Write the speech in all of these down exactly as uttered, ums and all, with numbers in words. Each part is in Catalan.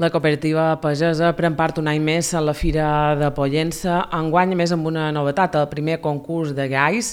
La cooperativa pagesa pren part un any més a la Fira de Pollença, enguany a més amb una novetat, el primer concurs de gais,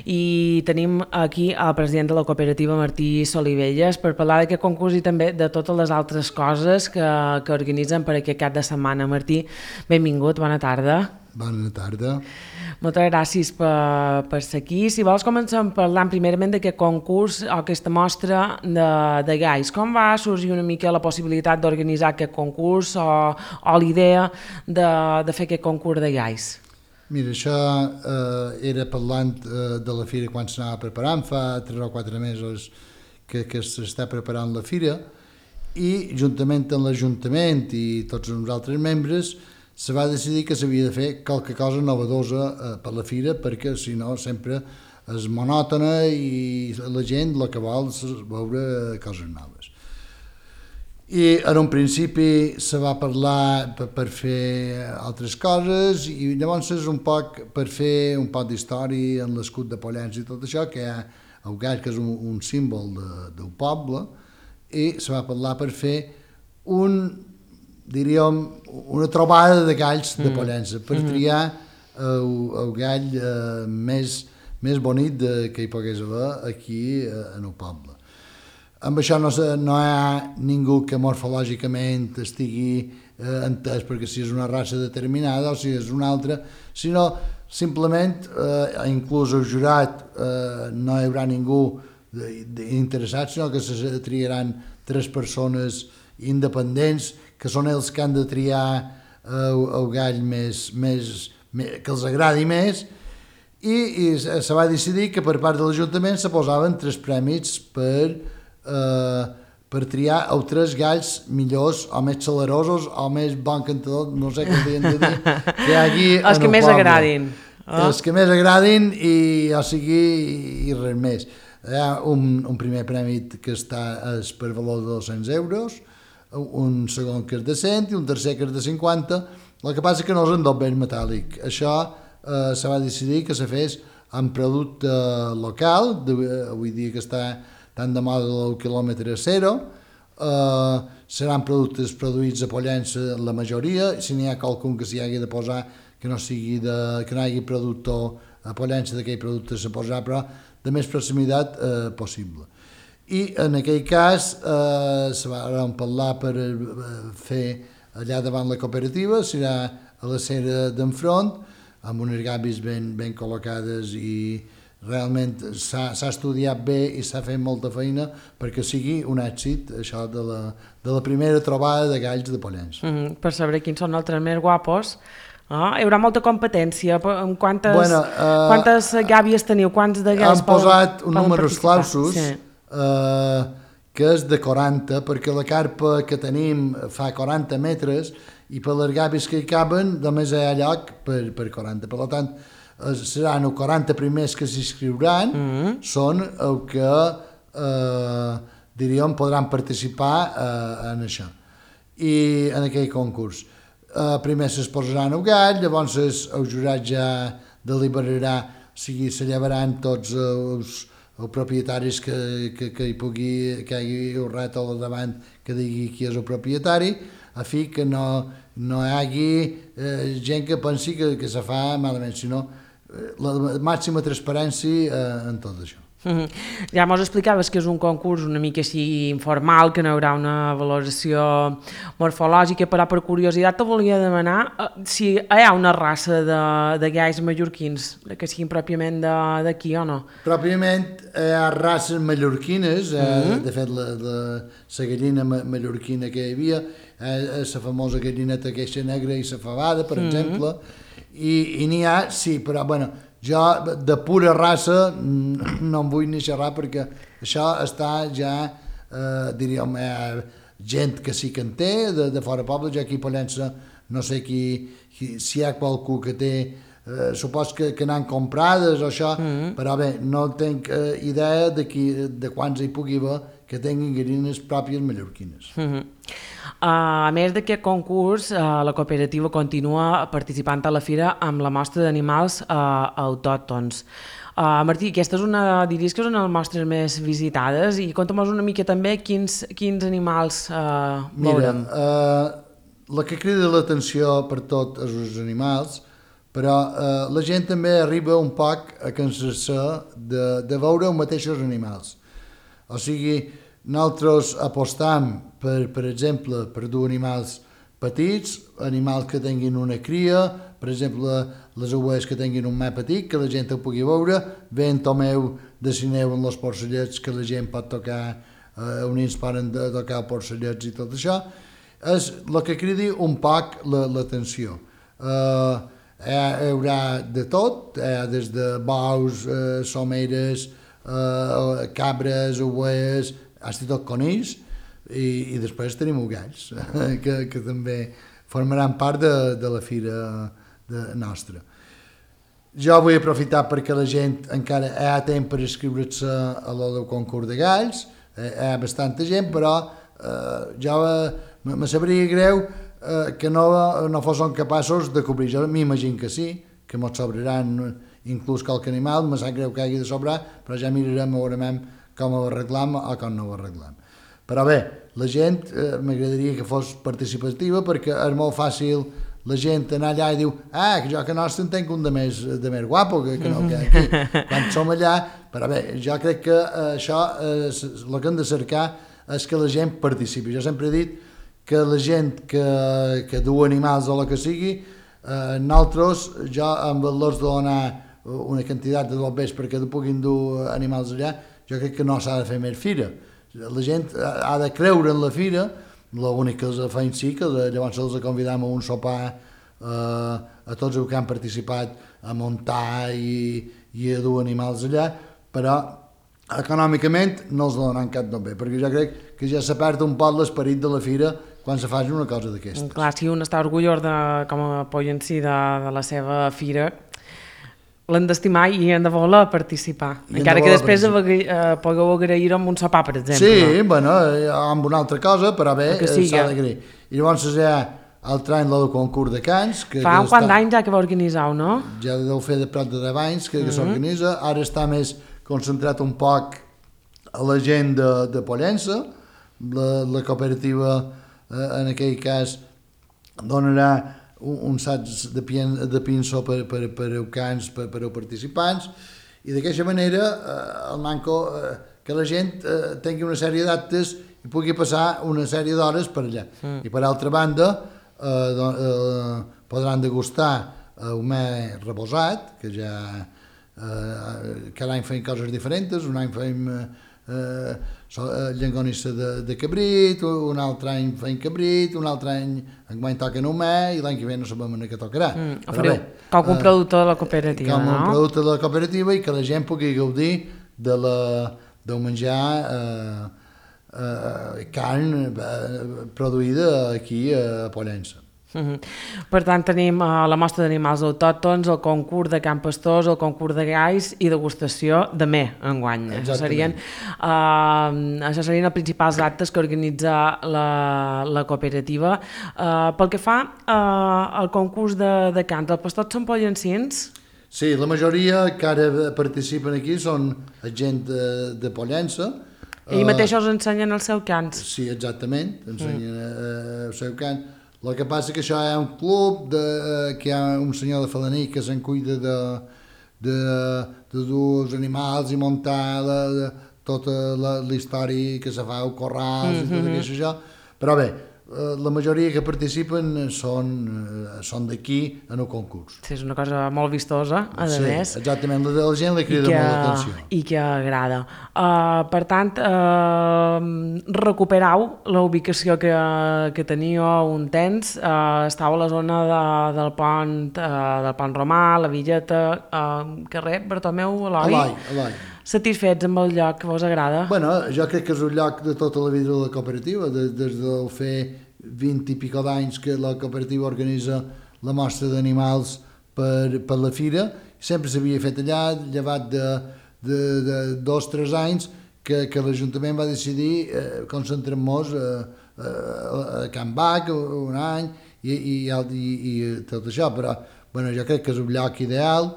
i tenim aquí el president de la cooperativa, Martí Solivelles, per parlar d'aquest concurs i també de totes les altres coses que, que organitzen per aquest cap de setmana. Martí, benvingut, bona tarda. Bona tarda. Moltes gràcies per, per ser aquí. Si vols comencem parlant primerament d'aquest concurs o aquesta mostra de, de gais. Com va sorgir una mica la possibilitat d'organitzar aquest concurs o, o l'idea de, de fer aquest concurs de gais? Mira, això eh, era parlant eh, de la fira quan s'anava preparant, fa tres o quatre mesos que, que s'està preparant la fira, i juntament amb l'Ajuntament i tots els altres membres se va decidir que s'havia de fer qualque cosa novedosa eh, per la fira, perquè si no sempre és monòtona i la gent el que vol és veure coses noves. I en un principi se va parlar per, per fer altres coses i llavors és un poc per fer un poc d'història en l'escut de Pollença i tot això, que hi ha el gat, que és un, un símbol de, del poble, i se va parlar per fer un, diríem, una trobada de galls de Pollença, per triar el, el gall eh, més, més bonic de, que hi pogués haver aquí eh, en el poble. Amb això no, no hi ha ningú que morfològicament estigui eh, entès perquè si és una raça determinada o si és una altra, sinó simplement, eh, inclús el jurat, eh, no hi haurà ningú interessat, sinó que se triaran tres persones independents que són els que han de triar el, el gall més, més, més, que els agradi més, i, i se va decidir que per part de l'Ajuntament se posaven tres prèmits per, eh, per triar els tres galls millors o més celerosos o més bon cantador, no sé què havien de dir, que hi hagi els que més poble. agradin. Oh. Els que més agradin i, o sigui, i res més. Hi ha un, un primer prèmit que està és per valor de dos-cents euros, un segon que és de cent i un tercer que és de cinquanta. El que passa és que no és en doble metàl·lic. Això eh, se va decidir que se fes amb producte local, de, avui dia que està tan de moda el quilòmetre zero, eh, seran productes produïts a Pollença la majoria, si n'hi ha qualcun que s'hi hagi de posar que no sigui de, que no hi hagi productor a Pollença d'aquell producte se posarà, però de més proximitat eh, possible. I en aquell cas eh, se van parlar per fer allà davant la cooperativa, serà a la cera d'enfront, amb unes gavis ben, ben col·locades, i realment s'ha estudiat bé i s'ha fet molta feina perquè sigui un èxit això de la, de la primera trobada de galls de Pollença. Mm-hmm. Per saber quins són els tres més guapos. Ah, hi haurà molta competència. Quantes, bueno, uh, quantes gàbies teniu? Quants de galls han posat un números clausos, sí. uh, que és de quaranta, perquè la carpa que tenim fa quaranta metres i per les gàbies que hi caben només hi ha lloc per, per quaranta. Per tant, seran els quaranta primers que s'inscriuran, mm-hmm. són el que uh, diríem podran participar uh, en això, i en aquell concurs. Uh, primer es posaran el gall, llavors el jurat ja deliberarà, o sigui, se llevaran tots els, els propietaris que, que, que hi pugui, que hi hagi un rat al davant que digui qui és el propietari, a fi que no, no hi hagi eh, gent que pensi que, que se fa malament, sinó eh, la màxima transparència eh, en tot això. Mm-hmm. Ja mos explicaves que és un concurs una mica així informal, que no hi haurà una valoració morfològica, però per curiositat te volia demanar eh, si hi ha una raça de, de gais mallorquins que siguin pròpiament d'aquí o no? Pròpiament hi ha races mallorquines, eh, mm-hmm. de fet la, la, la gallina mallorquina que hi havia, eh, la famosa gallineta queixa negra i la fabada, per mm-hmm. exemple, i, i n'hi ha, sí, però bueno, jo de pura raça no en vull ni xerrar perquè això està ja, eh, diríem, eh, gent que sí que en té, de, de fora poble. Jo aquí a Pollença no sé qui, qui, si hi ha qualcú que té, eh, supos que, que n'han comprades o això, mm-hmm. però bé, no tinc eh, idea de, qui, de quants hi pugui haver que tinguin gallines pròpies mallorquines. Mm-hmm. Uh, a més d'aquest concurs, uh, la cooperativa continua participant a la fira amb la mostra d'animals uh, autòctons. Uh, Martí, aquesta és una, diries que és una de les mostres més visitades i conta'm una mica també quins, quins animals uh, veurem. Mira, uh, la que crida l'atenció per tot és els animals, però uh, la gent també arriba un poc a cansar-se de, de veure els mateixos animals. O sigui, nosaltres apostam, per, per exemple, per dur animals petits, animals que tinguin una cria, per exemple, les ovelles que tinguin un més petit, que la gent ho pugui veure, ben tomeu de cineu en els porcellets que la gent pot tocar, eh, on ells poden tocar porcellets i tot això, és el que cridi un poc l'atenció. Eh, hi haurà de tot, hi ha des de bous, eh, someres, eh, cabres, ovelles, fins i tot conills, i, i després tenim galls, que, que també formaran part de, de la fira de, nostra. Jo vull aprofitar perquè la gent encara hi ha temps per inscriure-se a el concurs de galls, hi ha bastanta gent, però eh, jo me sabria greu eh, que no, no fossin capaços de cobrir. Jo m'imagino que sí, que ens sobraran inclús qualque animal, me sap greu que hagi de sobrar, però ja mirarem, veurem com ho arreglam o com no ho arreglam. Però bé, la gent eh, m'agradaria que fos participativa perquè és molt fàcil la gent anar allà i diu ah, que jo que nostre en tenc un de més, de més guapo que, que no, que aquí, quan som allà, però bé, jo crec que eh, això, eh, el que hem de cercar és que la gent participi. Jo sempre he dit que la gent que, que du animals o el que sigui, eh, nosaltres, jo amb els de donar una quantitat de bombers perquè puguin dur animals allà, jo crec que no s'ha de fer més fira. La gent ha de creure en la fira, l'únic que els feim sí, que llavors els convidam a un sopar eh, a tots els que han participat a muntar i, i a dur animals allà, però econòmicament no els donaran cap nombre, perquè jo crec que ja s'ha perd un poc l'esperit de la fira quan se faci una cosa d'aquestes. Clar, si un està orgullós de, com a Pollencí de, de la seva fira, l'han d'estimar i han de voler participar. I encara que després eh, pugueu agrair amb un sopar, per exemple. Sí, bueno, amb una altra cosa, però bé, s'ha d'agrair. I llavors hi ha l'altre any el concurs de cants. Que, Fa que un quant d'anys ja que va organitzar, no? Ja deu fer de prop de deu anys que, que mm -hmm. s'organitza. Ara està més concentrat un poc a la gent de, de Pollença. La, la cooperativa, eh, en aquell cas, donarà un sac de, de pinso per, per, per els cants, per, per els participants, i d'aquesta manera eh, el manco eh, que la gent eh, tingui una sèrie d'actes i pugui passar una sèrie d'hores per allà. Mm. I per altra banda eh, do, eh, podran degustar un més reposat, que ja eh, cada any fem coses diferents, un any fem eh, llengonissa de, de cabrit, un altre any fem cabrit, un altre any enguany toquen un més i l'any que ve no sabem en què tocarà. Mm, Però bé, com un producte de la cooperativa, com no? Com un producte de la cooperativa i que la gent pugui gaudir de la, del menjar eh, eh, carn eh, produïda aquí a Pollença. Uh-huh. Per tant, tenim uh, la mostra d'animals autòctons, el concurs de Can Pastors, el concurs de galls i degustació de me enguany. Això serien, uh, això serien els principals actes que organitza la, la cooperativa. Uh, pel que fa uh, al concurs de, de cants, els pastors són pollencins? Sí, la majoria que ara participen aquí són gent de, de Pollença. Ells mateixos ensenyen els seus cants? Sí, exactament, ensenyen mm. el seu cant. El que passa que això hi ha un club, de, que hi ha un senyor de Falaní que se'n cuida de, de, de dur els animals i muntar la, de, tota la, la història que se fa, el corrals mm-hmm. i tot això. Però bé, la majoria que participen són, són d'aquí en el concurs. Sí, és una cosa molt vistosa, a sí, més. Exactament, la, la gent li crida que, molt l'atenció. I que agrada. Uh, per tant, uh, recuperau la ubicació que, que teníeu un temps, uh, estàu a la zona de, del pont uh, del pont Romà, la Villeta, uh, carrer Bartomeu Eloi. Eloi, Eloi. Satisfets amb el lloc que vos agrada? Bueno, jo crec que és un lloc de tota la vida de la cooperativa, des, des del fer vint i pico d'anys que la cooperativa organitza la mostra d'animals per, per la fira, sempre s'havia fet allà, llevat de, de, de dos o tres anys que, que l'Ajuntament va decidir eh, concentrar-nos eh, a Can Bac un any i, i, i, i tot això, però bueno, jo crec que és un lloc ideal.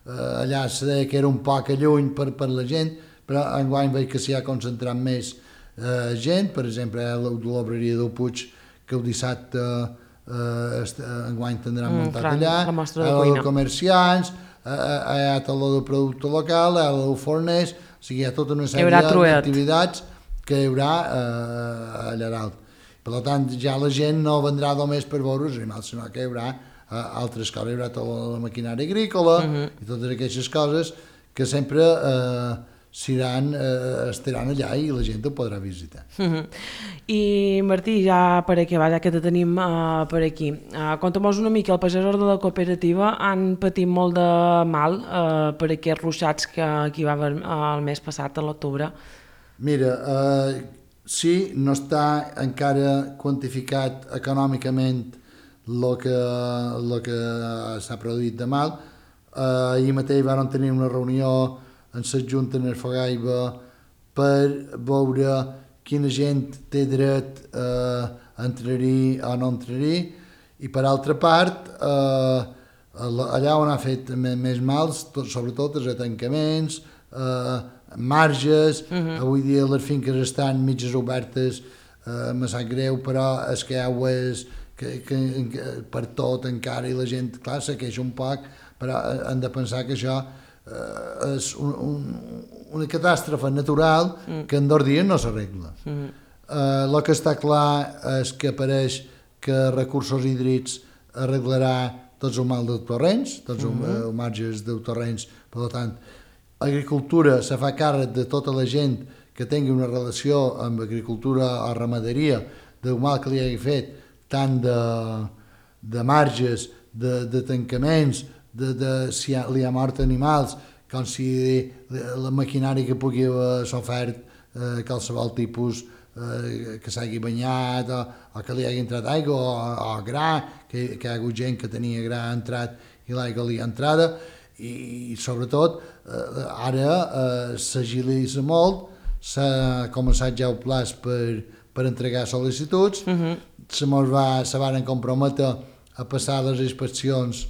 eh, allà se deia que era un poc lluny per, per la gent, però enguany veig que s'hi ha concentrat més eh, gent, per exemple, a l'obreria del Puig, que el dissabte eh, enguany tindran mm, muntat clar, allà, a la de comerciants, a la de producte local, a la de forners, o sigui, hi ha tota una sèrie d'activitats que hi haurà eh, allà dalt. Per tant, ja la gent no vendrà només per veure els animals, sinó que hi haurà uh, altres coses, hi haurà tota la maquinària agrícola uh -huh. i totes aquestes coses que sempre uh, s'iran, uh, estaran allà i la gent ho podrà visitar. Uh -huh. I Martí, ja per aquí, ja que te tenim uh, per aquí, uh, conta'm-nos una mica, els pagesos de la cooperativa han patit molt de mal uh, per aquests ruixats que, que hi va haver uh, el mes passat, a l'octubre. Mira, uh, sí, no està encara quantificat econòmicament el que, lo que s'ha produït de mal. Uh, ahir mateix vam tenir una reunió en la Junta en Arfagaiba per veure quina gent té dret uh, a entrar-hi o no entrar-hi, i per altra part, uh, allà on ha fet més mals, tot, sobretot els atancaments, uh, marges, uh -huh. avui dia les finques estan mitges obertes, eh, me sap greu, però és que aigües que, que, que per tot encara, i la gent, clar, se queixa un poc, però hem de pensar que això eh, és un, un, una catàstrofe natural uh -huh. que en dos dies no s'arregla. Uh -huh. eh, el que està clar és que apareix que Recursos Hídrics arreglarà tots els mal dels torrents, tots uh -huh. els marges dels torrents, per tant, Agricultura se fa càrrec de tota la gent que tingui una relació amb agricultura o ramaderia, del mal que li hagi fet, tant de, de marges, de, de tancaments, de, de si ha, li ha mort animals, com si la maquinària que pugui haver sofert eh, qualsevol tipus eh, que s'hagi banyat o, o que li hagi entrat aigua o, o gra, que, que hi ha hagut gent que tenia gra entrat i l'aigua li ha entrada, i sobretot eh, ara eh, s'agilitza molt, s'ha començat ja el plaç per, per entregar sol·licituds, uh -huh. se mos va, se varen comprometre a passar les inspeccions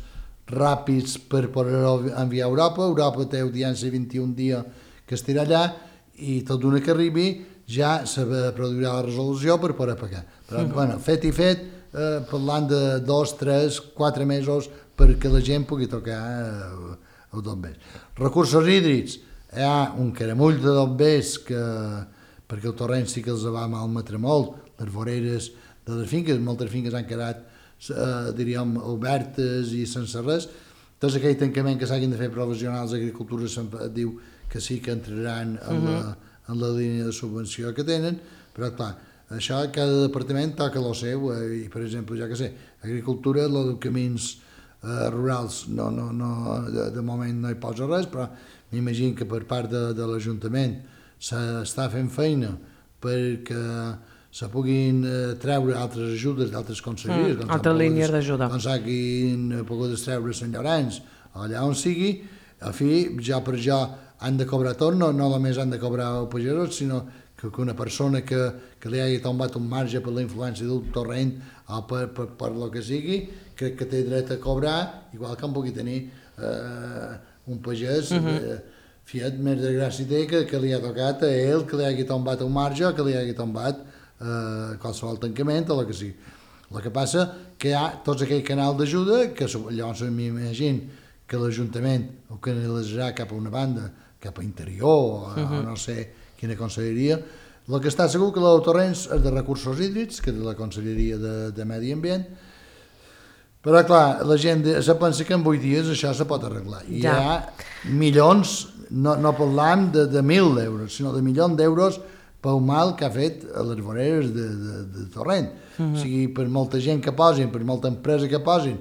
ràpids per poder enviar a Europa. Europa té audiència vint-i-un dies que estirà allà, i tot d'una que arribi ja se produirà la resolució per poder pagar. Però, uh -huh. bueno, fet i fet, eh, parlant de dos, tres, quatre mesos perquè la gent pugui tocar eh, els bombers. Recursos hídrics, hi ha un caramull de bombers que, perquè el torrent sí que els va malmetre molt, les voreres de les finques, moltes finques han quedat, eh, diríem, obertes i sense res. Tots aquell tancament que s'hagin de fer professionals d'agricultura sempre diu que sí que entraran en, uh -huh. la, en la línia de subvenció que tenen, però clar, això cada departament toca el seu, eh, i per exemple, ja que sé, agricultura, el de camins Uh, rurals no, no, no, de, de moment no hi posa res, però m'imagino que per part de, de l'Ajuntament s'està fent feina perquè se puguin uh, treure altres ajudes d'altres conselleries, mm, altres línies d'ajuda, doncs hagin pogut treure Sant Llorenç o allà on sigui. A fi, ja per jo han de cobrar tot, no, no només han de cobrar el pagesos, sinó que, que una persona que, que li hagi tombat un marge per la influència del torrent o per, per, per lo que sigui, crec que té dret a cobrar, igual que en pugui tenir eh, un pagès, uh -huh. eh, fiat més de gràcia té que, que li ha tocat a ell, que li hagi tombat un marge o que li hagi tombat eh, qualsevol tancament o el que sigui. El que passa que hi ha tots aquell canal d'ajuda que llavors m'imagino que l'Ajuntament ho canalitzarà cap a una banda, cap a interior o, uh -huh. o no sé quina conselleria. El que està segur que el torrents és de Recursos Hídrics, que és de la Conselleria de, de Medi Ambient. Però, clar, la gent se pensa que en vuit dies això se pot arreglar. I ja. Hi ha milions, no, no parlam de, de mil d'euros, sinó de milions d'euros pel mal que ha fet a les voreres de, de, de torrent. Uh -huh. O sigui, per molta gent que posin, per molta empresa que posin,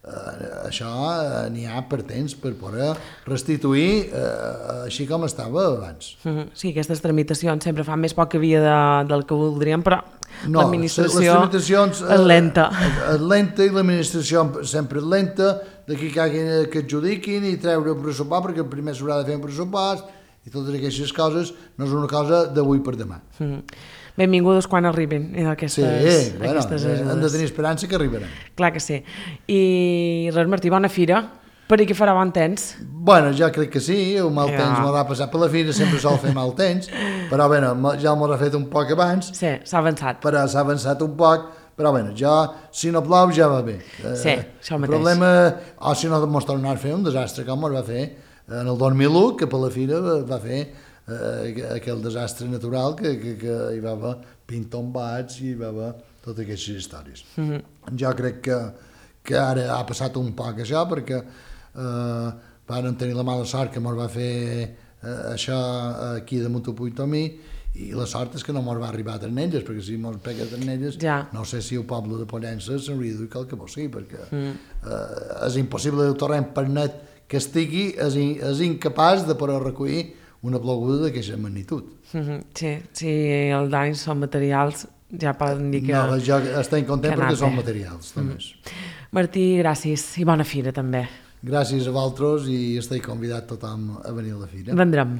eh, això eh, n'hi ha per temps per poder restituir eh, així com estava abans. Uh -huh. Sí, aquestes tramitacions sempre fan més poc que havia de, del que voldríem, però no, l'administració és lenta. És lenta i l'administració sempre és lenta, d'aquí que, que adjudiquin i treure el pressupost, perquè primer s'haurà de fer un pressupost i totes aquestes coses no és una cosa d'avui per demà. Mm. Benvingudes quan arribin aquestes, sí, bueno, aquestes ajudes. Hem de tenir esperança que arribaran. Clar que sí. I res, Martí, bona fira Per aquí farà bon temps. Bueno, jo crec que sí, el mal Ja. temps m'ha passat per la fira, sempre sol fer mal temps, però bé, ja m'ho ha fet un poc abans, Sí, s'ha avançat. però s'ha avançat un poc, però bé, ja, si no plou ja va bé. Sí, això el mateix. problema, o si no mos tornar a fer un desastre com es va fer en el dos mil u, que per la fira va fer eh, aquell desastre natural que, que, que hi va haver pintombats i hi va haver totes aquestes històries. Mm-hmm. Jo crec que, que ara ha passat un poc això, perquè eh, varen tenir la mala sort que mos va fer eh, això aquí de Montapuig-Tomí, i la sort és que no mos va arribar a Ternelles, perquè si mos pega a Ternelles, ja. no sé si el poble de Pollença s'hauria de dir qualque cosa, sí, perquè mm. eh, és impossible el torrent per net que estigui, és, in, és incapaç de poder recollir una ploguda d'aquesta magnitud. Mm-hmm. Sí, sí, els danys són materials, ja poden dir que... No, jo estic content perquè són bé. materials, també. Mm. Martí, gràcies, i bona fira també. Gràcies a vosaltres i estic convidat tothom a venir a la fira. Vendrem.